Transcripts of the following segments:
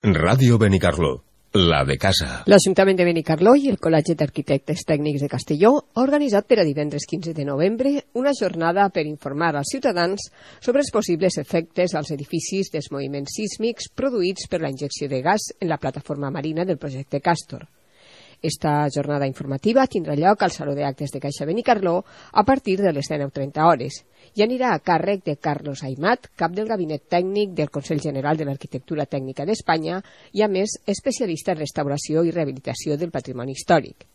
Ràdio Benicarló, la de casa. L'Ajuntament de Benicarló i el Col·legi d'Arquitectes Tècnics de Castelló ha organitzat per a divendres 15 de novembre una jornada per informar als ciutadans sobre els possibles efectes als edificis dels moviments sísmics produïts per la injecció de gas en la plataforma marina del projecte Castor. Esta jornada informativa tindrà lloc al Saló d'Actes de Caixa Benicarló a partir de les 19:30 hores i anirà a càrrec de Carlos Aymat, cap del Gabinet Tècnic del Consell General de l'Arquitectura Tècnica d'Espanya i, a més, especialista en restauració i rehabilitació del patrimoni històric.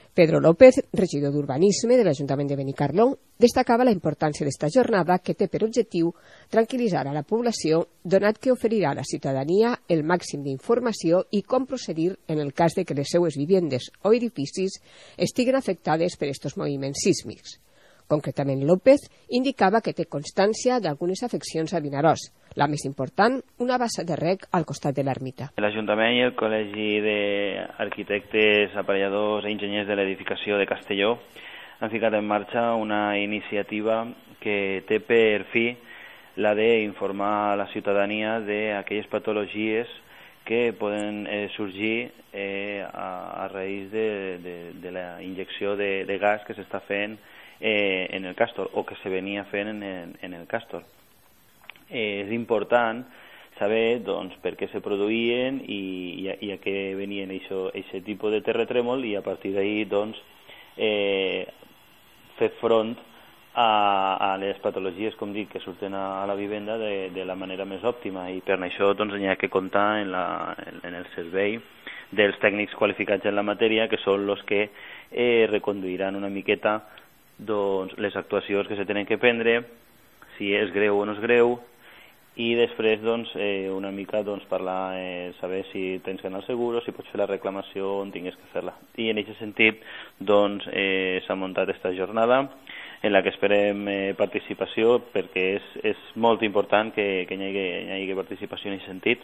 Pedro López, regidor d'Urbanisme de l'Ajuntament de Benicarló, destacava la importància d'esta jornada que té per objectiu tranquil·litzar a la població, donat que oferirà a la ciutadania el màxim d'informació i com procedir en el cas de que les seues vivendes o edificis estiguen afectades per estos moviments sísmics. Concretament, López indicava que té constància d'algunes afeccions a Vinaròs, la més important, una bassa de rec al costat de l'ermita. L'Ajuntament i el Col·legi d'Arquitectes, Aparelladors i Enginyers de l'Edificació de Castelló han ficat en marxa una iniciativa que té per fi la d'informar a la ciutadania d'aquelles patologies que poden sorgir a raïs de la injecció de gas que s'està fent en el Castor o que se venia fent en el Castor. És important saber doncs, per què se produïen i a què venien aquest tipus de terratrèmol i a partir d'ahir doncs, fer front a les patologies, com dic, que surten a la vivenda de la manera més òptima i per això doncs, hi ha que comptar en el servei dels tècnics qualificats en la matèria, que són els que reconduiran una miqueta doncs, les actuacions que se tenen que prendre, si és greu o no és greu, i després doncs, una mica doncs, parlar, saber si tens que anar al seguro, si pots fer la reclamació on tinguis que fer-la. I en aquest sentit doncs, s'ha muntat aquesta jornada en la que esperem participació, perquè és molt important que hi hagi participació en aquest sentit.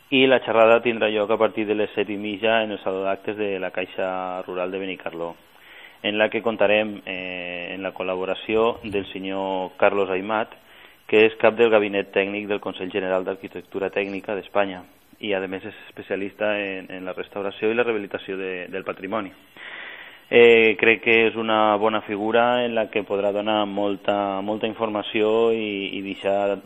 I la xerrada tindrà lloc a partir de les 7:30 en el Saló d'Actes de la Caixa Rural de Benicarló, en la que contarem en la col·laboració del senyor Carlos Aymat, que és cap del Gabinet Tècnic del Consell General d'Arquitectura Tècnica d'Espanya i, a més, és especialista en la restauració i la rehabilitació del patrimoni. Crec que és una bona figura en la que podrà donar molta informació i deixar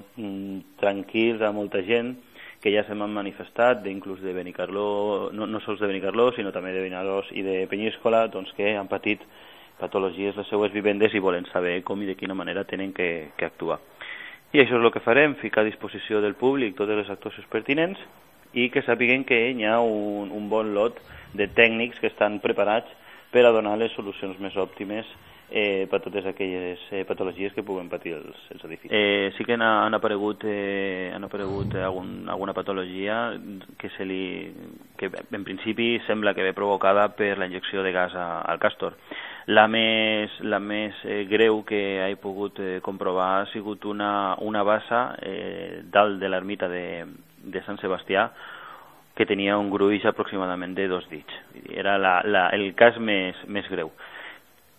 tranquils a molta gent que ja se m'han manifestat, inclús de Benicarló, no sols de Benicarló, sinó també de Vinaròs i de Penyíscola, doncs, que han patit patologies les seues vivendes i volen saber com i de quina manera tenen que actuar. I això és el que farem, ficar a disposició del públic totes les actuacions pertinents i que sàpiguen que hi ha un bon lot de tècnics que estan preparats per a donar les solucions més òptimes per totes aquelles patologies que puguen patir els edificis. Sí que han aparegut alguna patologia que en principi sembla que ve provocada per la injecció de gas al Castor. La més greu que he pogut comprovar ha sigut una bassa dalt de l'ermita de Sant Sebastià que tenia un gruix aproximadament de 2 dits. Era el cas més greu.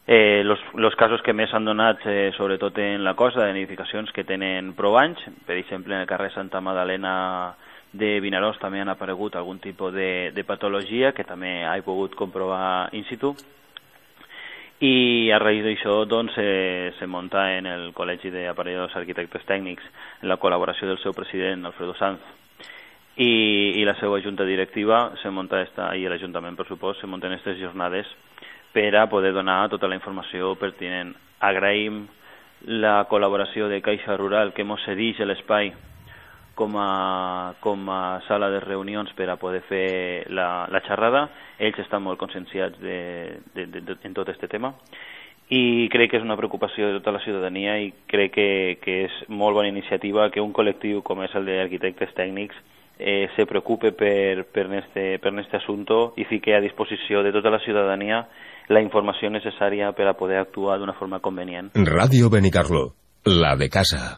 Els casos que més s'han donat, sobretot en la costa, en edificacions que tenen prou anys, per exemple, en el carrer Santa Magdalena de Vinaròs també han aparegut algun tipus de patologia que també he pogut comprovar in situ. I a raïs d'això doncs, se munta en el Col·legi d'Aparelladors Arquitectes Tècnics, en la col·laboració del seu president, Alfredo Sanz, i la seva junta directiva, i l'Ajuntament, per supost, se munten aquestes jornades per a poder donar tota la informació pertinent. Agraïm la col·laboració de Caixa Rural, que ens cedeix l'espai com a sala de reunions per a poder fer la xerrada. Ells estan molt conscienciats en tot aquest tema i crec que és una preocupació de tota la ciutadania i crec que és molt bona iniciativa que un col·lectiu com és el d'arquitectes tècnics se preocupe per este assumpte i fique a disposició de tota la ciutadania la informació necessària per a poder actuar d'una forma convenient. Ràdio Benicarló, la de casa.